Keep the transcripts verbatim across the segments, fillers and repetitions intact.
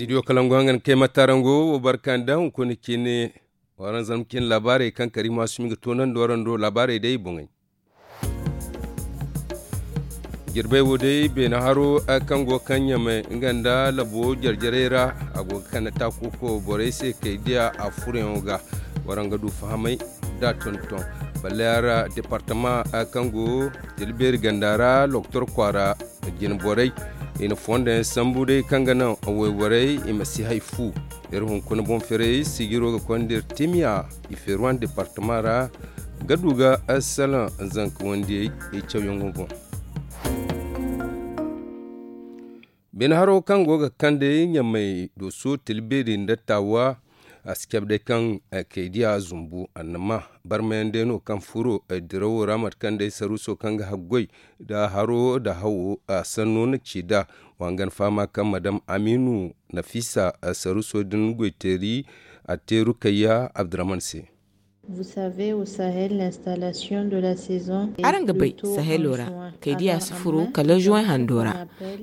Idiyo kalangu hangan kay matarango wo barka nda hunkuna cine. Waranzam cine laabaarey kaŋ kari maasumi ga toonandi warando laabaarey day boŋey. Jirbey wo day beene haro kaŋ go kaŋ ɲamay nga nda labo jarjarey ra. A go ga kande taakuko borey se kay diya a furayaŋo ga. Waraŋ ga du fahamay da tonton balleyaŋ ra departama kaŋ go tilbeeri ganda ra loktor kwaara. Jinborey i na fondo yaŋ sambu day kaŋ ga naŋ wayborey i ma si hay fu. Iri hunkuna boŋ ferey sijiro ga konda iri timiya i feeruwan departama ra ga du ga salaŋ zanka wandiyey i cawyaŋo boŋ. Bine haro kaŋ go ga kande ɲamay doso tilbeeri nda taawa. A si cabe day kaŋ kaydiya zumbu annama barmayaŋ day no kaŋ furo dirawo ra mate kaŋ day saruuso kaŋ ga haggoy da haro da hawo a sanno na ci da. Wa hangan fahama kaŋ madam amiinu nafisa saruuso din goyteeri a te rukayya abdurahman se. Araŋ ga bay sahelo ra kaydiya si furo kala juwaŋ hando ra.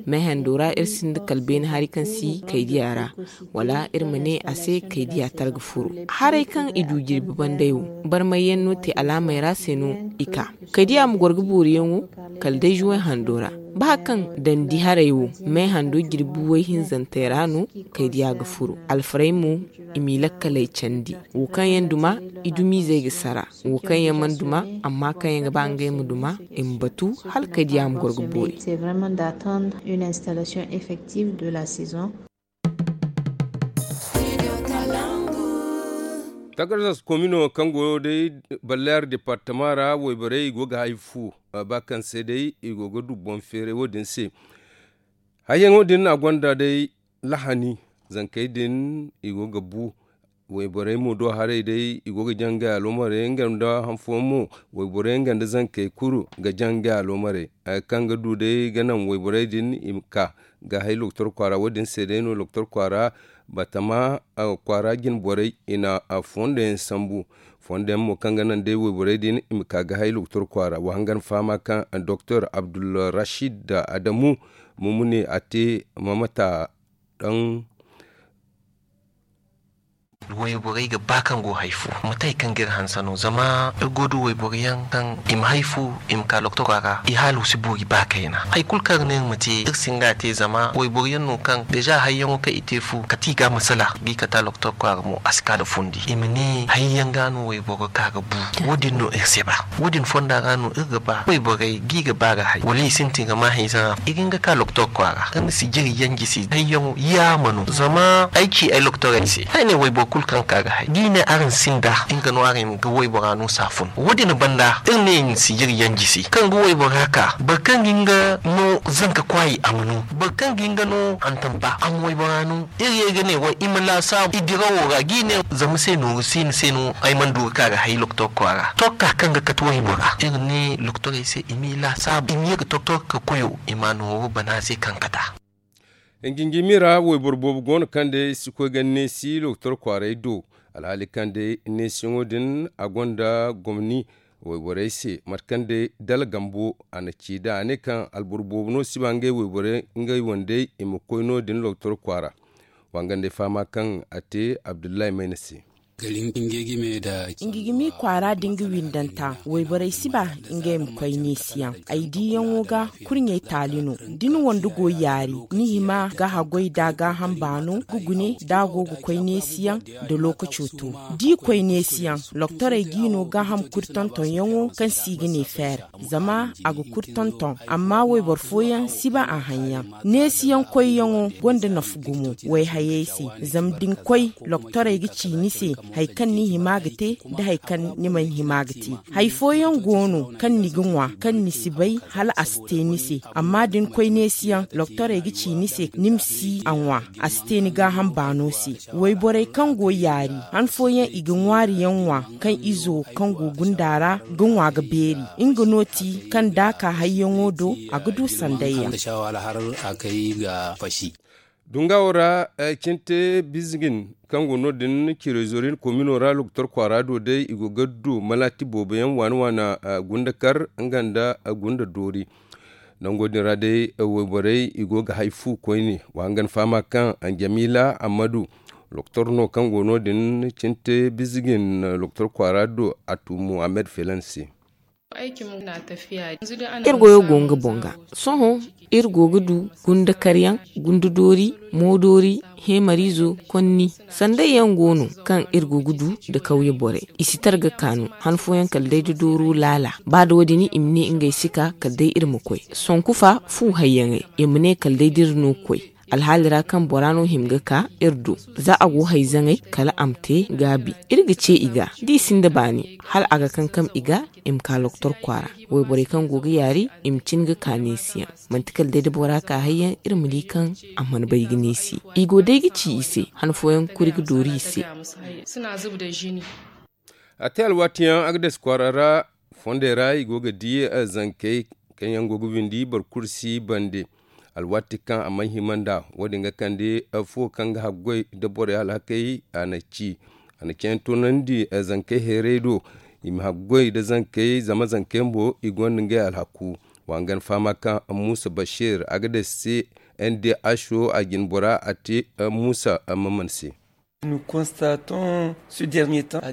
Meehando ra iri sinda kala beene hari kaŋ si kaydiya ra wala iri ma ne a se kaydiya tara ga furo. Haray kaŋ i du jirbi banday wo barmayyaŋ no te alaamey ra se no i ka. Kaydiya ma goro ga booriyaŋo kala day juwaŋ hando ra. Ba kaŋ dandi haray wo meehando jirbi way hinzantey ra no kaydiya ga furo. Alfarey mo i m'i lakkaley candi wo kaŋ yaŋ duma i dumiizey ga sara. Wo kaŋ yaŋ mana duma amma kaŋ yaŋ ga ba ngey ma duma i ma batu hala kaydiya ma goro ga boori. Tagardas komino kaŋ go day balleer departama ra wayborey i go ga hay fu ba kaŋ se day i go ga du boŋ feeray wo- din se. Hayyaŋo din a gonda day lahani zankey din i go ga bu. Wayborey mo do haray day i go ga jaŋ ga aloomarey nga nda hanfooyaŋ mo wayborey nga nda zankey kulu ga jaŋ ga aloomarey. Kaŋ ga du day ga naŋ wayborey din i ma ka ga hay loktor kwaara wo- din se day no loktor kwaara batama kwaara jinborey i na fondo yaŋ sambu. Fondo yaŋ mo kaŋ ga naŋ day wayborey din i ma ka ga hay loktor kwaara wa hangan fahama kaŋ doktor abdulrashid adamu mumuni a te mamata daŋ. Wayborey ga ba kaŋ go hay fo mate hari kaŋ ga iri hanse no zama iri go du wayboro yaŋ kaŋ i ma hay fo i ma ka loktora ra i haalo si boori ba kayna. Hari kulu kaŋ iri ne iri ma te iri si hin ga a te zama wayboro yaŋ no kaŋ deeza hayyaŋo kaŋ i te fu kate i ga masala ga i kate a loktor kwaara mo a si ka nda fundi i ma ne hayyaŋ ga no wayboro ka ga bu. Wo- din no iri si ba wo- din fonda ra no iri ga ba wayborey ga i ga ba ga hay wala i sintin ga ma hayzaŋ a fo i ga hin ga ka loktor kwaara kaŋ ni si jiri yaŋ jisi hayyaŋo yaama no zama ay ci ay loktorey se ay ne wayboro kulu kaŋ ka ga hay da i ne araŋ sinda nga no araŋ ga waybora no saafun wo- din banda iri ne i na si jiri yaŋ jisi kaŋ ga waybora ka boro kaŋ ga hin ga no zanka kwaayi a ma no boro kaŋ ga hin ga no hantampa a ma waybora no. Iri ye ga ne way i ma laasaabu i dirawo ra ga i ne zama se nooru siina se no ay mana du ga ka ga hay loktor kwaara tokka kaŋ ga kate waybora iri ne loktorey se i m'i laasaabu i ma ye ga tokka koyo i ma nooru bana se kaŋ kata. Hinjinjimi ra wayboro boobo go no kaŋ day si koy ga neesi loktor kwaaray do. Alhaali kaŋ day neesiyaŋo din a gonda gomni wayborey se mate kaŋ day dala gambo a na ci da a ne kaŋ alboro boobo no si ba ngey wayborey ngey wandey i ma koy no- din loktor kwaara. Wangandey fahama kaŋ a te abdullahi mayna se. Ngigimi kwaara da nga windanta wayborey si ba ngey ma koy neesiyaŋ ay diiyaŋo ga kurɲey taali no da ni wande go yaari ni hima ga haggoy da gaaham baano ga gune da a go ga koy neesiyaŋ da lookaco to da i koy neesiyaŋ loktorey g'i no gaaham kuri tontonyaŋo kaŋ se i ga ne feer zama a ga kuri tonton amma wayboro fooyaŋ si ba a haŋ yaŋ. Neesiyaŋ koyyaŋo gonda nafa gumo wayhayey se zama da ni koy loktorey ga ci ni se hari kaŋ ni hima ga te nda hari kaŋ ni mana hima ga te. Hari fooyaŋ go no kaŋ ni ga ŋwa kaŋ ni si bay hala a si te ni se amma da ni koy neesiyaŋ loktorey ga ci ni se ni ma si a ŋwa a si te ni gaaham baano se. Wayborey kaŋ go yaari han fooyaŋ i ga ŋwaari yaŋ ŋwa kaŋ izo kaŋ go gunda ra ga ŋwa ga beeri nga no ti kaŋ da a ka hayyaŋo do a ga du sanday yaŋ. Dungawo ra cinte bizgin kaŋ go no- din cirezorin komino ra loktor kwaara do day i go ga du malati boobo yaŋ waana waana gunda kar nga nda gunda doori. Nango din ra day wayborey i go ga hay fu koyne. Wa hangan fahama kaŋ jamila amadu, doktor no kaŋ go no- din cinte bizigin doktor kwaara do a tu muhammed felan se. Iri goyo go nga boŋ ga. Sohõ iri go ga du gunda karyaŋ, gunda doori, moodoori, heemariizo, konni. Sanday yaŋ go no kaŋ iri go ga du nda kawye borey. I si tara ga kaanu han fooyaŋ kala day da dooro laala. Ba da wo- din i ma ne ngey si ka kala day iri ma koy sonku fa fu hayyaŋey, i ma ne kala day da iri no ga koy. Alhaali ra kaŋ bora no hima ga ka iri do, za a go hayzaŋey kala a ma te gaabi. Iri ga ce i ga da i sinda baani, hala a ga kankam i ga i ma ka loktor kwaara. Wayborey kaŋ go ga yaari, i ma cin ga ka neesi yaŋ. Manti kala day da bora ka hayyaŋ, iri ma di kaŋ a mana bay ga neesi. I go day ga ci i se han fooyaŋ kuri ga doori i se. A te alwaatiyaŋ a ga dasi kwaara ra. Fondey ra i go ga di zankey kaŋ yaŋ go ga windi boro kulu si bande. Alwaati kaŋ a mana hima nd'a, wo- din ga kande fuwo kaŋ ga haggoy nda borey alhakey a na ci. A na ceeyaŋ toonandi zankey heerey do, i ma haggoy nda zankey zama zankey mo i gonda ngey alhaku. Wa hangan fahama kaŋ muusa bashir a ga dasi se. N d h o a jine bora a te muusa maman se.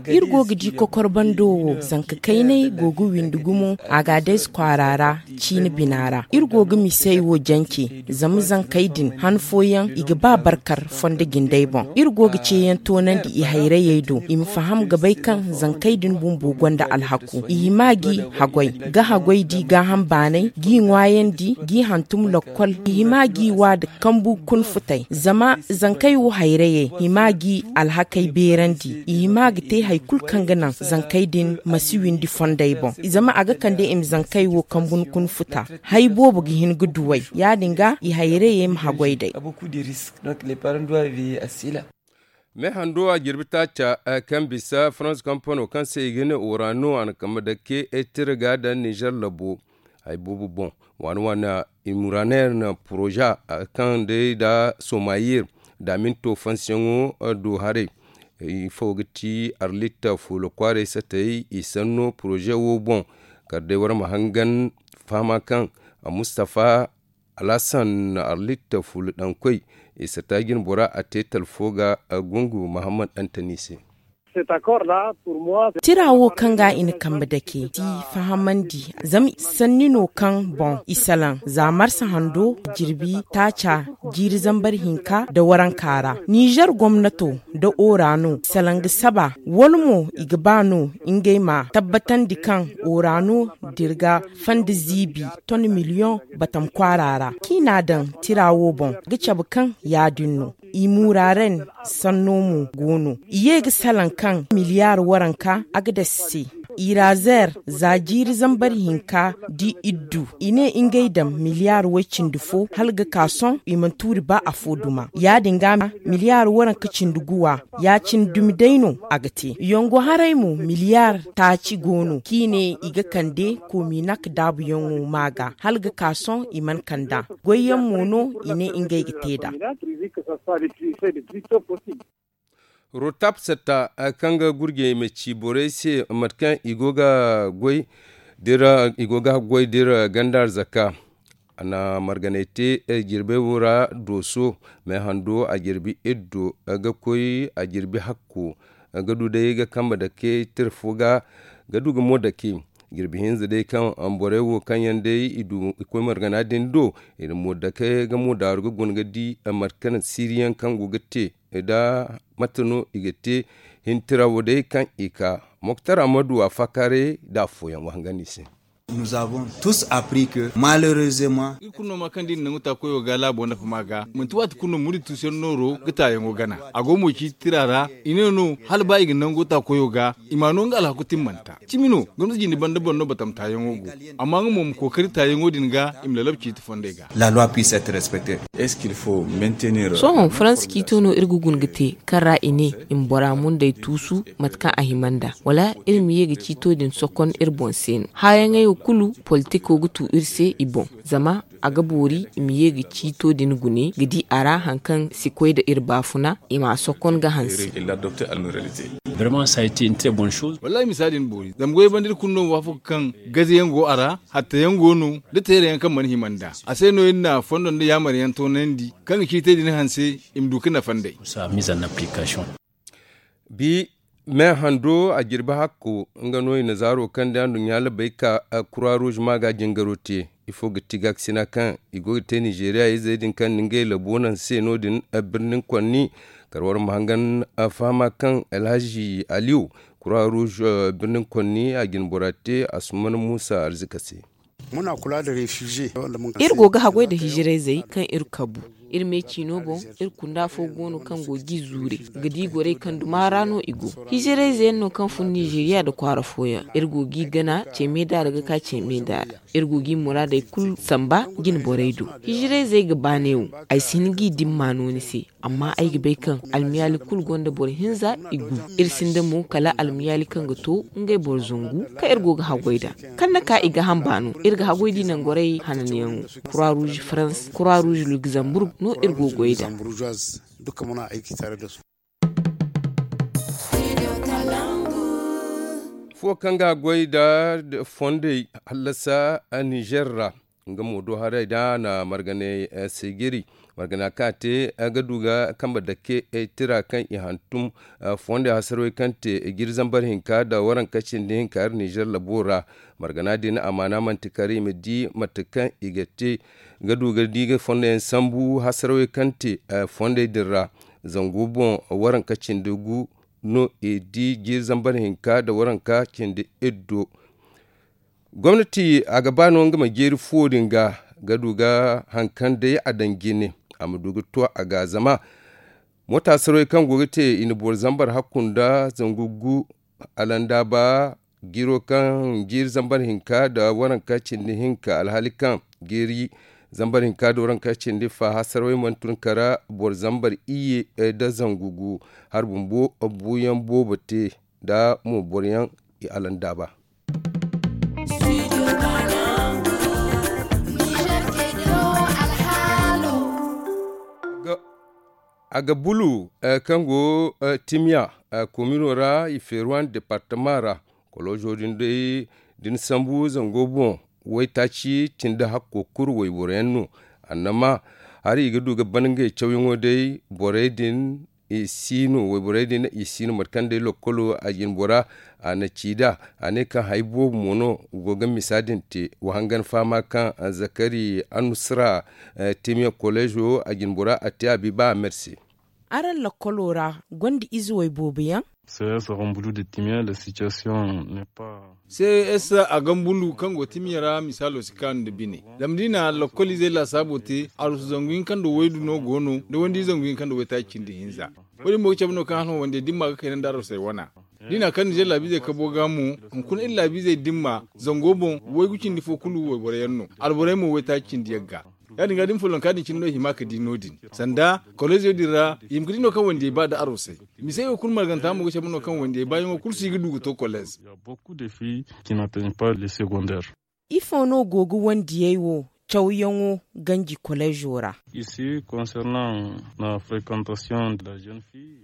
Iri go ga di kokor bando wo zanka kayney go ga windi gumo. Agades kwaara ra, ciine bina ra iri go ga misey wo jance. Zama zankey din han fooyaŋ i ga ba barkar fondo jindey boŋ. Iri go ga ceeyaŋ toonandi i hayrayey do i ma faham ga bay kaŋ zankey din bumbo gonda alhaku. I hima g'i haggoy ga haggoy di gaaham baanay g'i ŋwaayandi g'i hantum lokkol. I hima g'i wa da kambu kun futay zama zankey wo hayrayey hima g'i alhakey beerandi. I hima ga te hari kulu kaŋ ga naŋ zankey din ma si windi fondey boŋ. Zama a ga kande i ma zankey wo kambu kun futa. Hari boobo ga hin ga duw'ey ya- din ga i hayrayey ma haggoy d'ey. Me hando a jirbi taaca kaŋ bisa farans kampano kaŋ se i ga ne orano a na kambe dake tira ga daŋ nizer labo. Hari boobo boŋ waana waana imuraner na poroza kaŋ day da somayir da minto fansiyaŋo do haray. Ifo ga ti arlit fuula kwaaray satay i sanno poroze wo boŋ. Kala day war ma hangan fahama kaŋ mustafa alhassan arlit fuula daŋ koy i sata jine bora a te talfo ga gungu muhammad antani se. Tira wo kaŋ ga i na kambe dake ti fahamandi zama sanni no kaŋ boŋ i salaŋ za marsa hando jirbi taaca jiiri zambar hinka nda waranka ra nizer gomnato nda orano salaŋ ga saba wala mo i ga ba no ngey ma tabbatandi kaŋ orano dirga fanda ziibi ton miliyoŋ batam kwaara ra kaŋ i n'a daŋ tira wo boŋ ga cabe kaŋ ya- din no. I muraren sanno mo go no i ye ga salaŋ kaŋ miliyar waranka a ga dasi se. Irazer za jiiri zambar hinka da iddu i ne ngey daŋ miliyar way-cindi fo hala ga ka sohõ i mana tuuri ba afo duma ya- din ga miliyar waranka cindi guwa ya- cine dumi day no a ga te yongo haray mo miliyar taaci go no kaŋ i ne i ga kande kominak daabuyaŋo ma ga hala ga ka sohõ i mana kand'a. Goyyaŋ mo no i ne ngey ga te nd'a. Rotap satta kaŋ ga gurjey ma ci borey se mate kaŋ i go ga goy d'iri ganda arzaka. A na marganay te jirbey wo ra dooso. Meehando a jirbi iddo ga koy a jirbi hakko ga du day ga kambe dake tira fo ga ga du ga mo dake. Jirbi hinza day kaŋ borey wo kaŋ yaŋ day i du i koy margana din do i na mo dake ga mo daaru ga guna ga di mate kaŋ siriyaŋ kaŋ go ga te nda mate no i ga te. Hintira wo day kaŋ i ka moktar amadu a fakare da afooyaŋ wahangandi se. Nous avons tous appris que malheureusement iri kulu no ma kaŋ da i na nangu ta koyo ga laabo nafa ma ga manti waati kulu no muri tuusiyaŋ nooro ga taayaŋo gana. A go mo ciiti tira ra i ne no hala ba i ga nango ta koyo ga i ma no nga alhaku timmanta cimi no. Gomnati jinde banda boŋ no batam taayaŋo go amma nga mo ma kookari taayaŋo din ga i ma lalab ciiti fondey ga. La loi puisse être respectée. Est ce qu'il faut maintenir sohõ faransa ciito no iri ga guna ga te kaŋ ra i ne i ma bora mundey tuusu mate kaŋ a hima nd'a wala iri ma ye ga ciito din sokon iri boŋ se no haayaŋey wo. Kulu politiko ga tu iri se i boŋ, zama a ga boori i ma ye ga ciito din gune ga di a ra hari kaŋ si koy nda iri baafuna i m'a sokon ga hanse. Wallaahi misa din boori zama goy banda iri kulu no waafaka kaŋ gaze yaŋ go a ra, hatta yaŋ go no, da teera yaŋ kaŋ mana hima nd'a. A se no iri na fondo nda yaamar yaŋ toonandi kaŋ ga ciitay din hanse, i ma du ga nafa nd'ey. Bi me hando a jirbi hakko nga no i na zaaro kaŋ da nduɲɲa labay ka kura ruuz ma ga jingaro te. Ifo ga ti gaakasina kaŋ i go ga te nizeeriya izey din kaŋ na ngey labo naŋ se no- din birnin konni. Kar war ma hangan fahama kaŋ alhazi aliyu kura ruuz birnin konni a jinbora te asuman muusa arzika se. Iri go ga haggoy nda hijirayzey kaŋ iri kabu iri me ciino boŋ. Iri kunda fo go no kaŋ go g'i zuure ga di gorey kaŋ duma ra no i go. Hijirayze yaŋ no kaŋ fun nizeeriya nda kwaara fooyaŋ iri go g'i gana ce me da ra ga ka ce me da ra. Iri go g'i muraadey kulu samba jine borey do. Hijirayzey ga ba neewo ay si hin g'i dimma no ni se. Amma ay ga bay kaŋ almiyaali kulu gonda boro hinza i gu. Iri sinda mo kala almiyaali kaŋ ga to ngey boro zangu kaŋ iri go ga haggoy nd'a. Kaŋ na ka i ga hamba no iri ga haggoy di nangorey hananyaŋo, kura ruuz farans, kura ruuz lugzamburg no iri go goy nd'a. Fo kaŋ ga goy nda fondey hallasa nizer ra, nga mo do haray da a na marganay seejiri. Margana kaŋ a te ga du ga kambe dake tira kaŋ i hantum fondey hasarwey kaŋ te jiiri zambar hinka nda waranka cindi hinka iri nizer labo ra. Margana din amaana manti kar i ma di mate kaŋ i ga te ga du ga di ga fondoyaŋ sambu hasarwey kaŋ te fondey din ra. Zangu boŋ waranka cindi gu no i di jiiri zambar hinka nda waranka cindi iddo. Gomnati a ga ba no nga ma jeeri fuwo din ga ga du ga hari kaŋ day a daŋ jine a ma du ga to a ga zama moota sarawey kaŋ go ga te i na boro zambar hakku nda zangu gu alandaaba jiiro kaŋ jiiri zambar hinka nda waranka cindi hinka alhaali kaŋ jiiri zambar hinka nda waranka cindi fa hassarawey mana tun kara boro zambar iyye nda zangu gu hari bumbo buuyaŋ boobo te nda mo boroyaŋ i alandaaba. A ga bulu kaŋ go timiya komino ra i feeruwan departama ra. Kolozo din day da ni sambu zango boŋ waytaaci cindi hakko kuru wayboroyaŋ no. Annama hari i ga du ga ban ngey cawyaŋo day borey din i si no wayborey din i si no mate kaŋ day lokkolo a jine bora a na ci nd'a. A ne kaŋ hari boobo mo no go ga misa din te wa hangan fahama kaŋ zakari annusra timiya kolezo a jine bora a te a bi ba a mer se. Araŋ lokkolo ra gonda ize wayboobo yaŋ? Ces a gambulu kaŋ go timiya ra misaalo si kaanu nda bine. Zama da i na lakkol izey laasaabo te arusu zangu hinka nda waydu no go no nda wandi zangu hinka nda waytaaci cindi hinza. Wo- din mo ga cabe no kaŋ hano wandey dimma ga kayna nda arusey wana. Da i na kaŋ nizer laabiizey kabo ga mo hunkuna iri laabiizey dimma zango boŋ waygu cindi fo kulu wayboro yaŋ no. Alborey mo waytaaci cindi yaŋ ga. Ya- din ga da ni follonka din cine no i hima ga di no- din sanda koleziyo din ra i hima ga di no kaŋ wandiyey ba nda arosey. Misey wo kulu marganta mo ga cabe no kaŋ wandiyey baayaŋo kulu si ga du ga to kolez. Ifo no go ga wandiyey wo cawyaŋo ganji kolezo ra?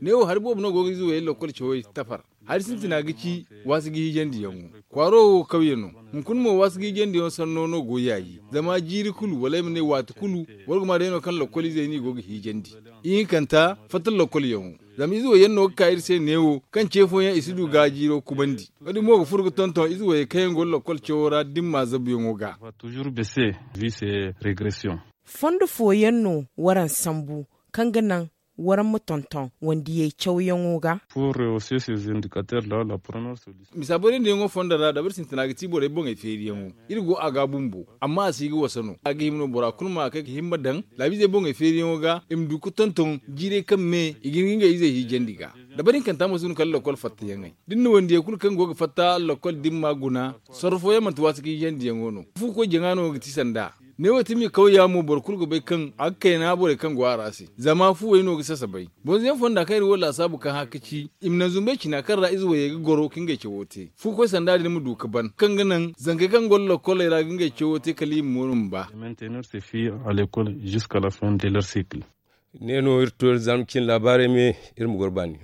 Neewo hari boobo no go ga ize wayey lokkol cawey tafar. Hari sintina ga ci waasi ga hiijandiyaŋo. Kwaaro wo kawye no. Hunkuna mo waasi ga hiijandiyaŋo sanno no go yaayi zama jiiri kulu wala ay ma ne waati kulu boro ga ma day no kaŋ lokkol izey no i go ga hiijandi. Ihinkanta fatta lokkolyaŋo. Zama ize wo yaŋ no ga ka iri se neewo kaŋ ce fooyaŋ i si du ga jiiro kubandi. Wo- din mo ga furo ga tonton ize wo yaŋ kaŋ yaŋ go lokkol cawo ra dimma zabuyaŋo ga. Fondo fooyaŋ no waraŋ sambu kaŋ ga naŋ waraŋ ma tonton wandiyey cawyaŋo ga? Misa borey nda yaŋo fondo ra dabari sintina ga ti borey boŋey feeriyaŋo. Iri go a ga bumbo amma a si ga wasa no a ga hima no bora kulu ma kay ga himma daŋ laabiizey boŋey feeriyaŋo ga i ma du ga tonton jiirey kaŋ me i ga hin ga ngey izey hiijandi ga. Dabari hinkanta mo si no kala lokkol fattayaŋey da ni na wandiyey kulu kaŋ go ga fatta lokkol dimma guna. Sorro fooyaŋ manti waasi ga hiijandiyaŋo no fu koy jaŋa no ga ti sanda. Ne wo timi kawya mo boro kulu ga bay kaŋ a ga kayna borey kaŋ go a ra se zama fuwey no ga sasabay. Bonzoyaŋ fonda kaŋ iri wo laasaabu kaŋ hã ka ci i ma naŋ zumbey cina kaŋ ra ize wayey ga goro ka ngey cawo te fu koy sanda din ma du ka ban kaŋ ga naŋ zankey kaŋ go lakoley ra ga ngey cawo te kala i ma mooro ma ba. Ne no iri to iri zarma cine laabaarey me. Iri ma goro baani.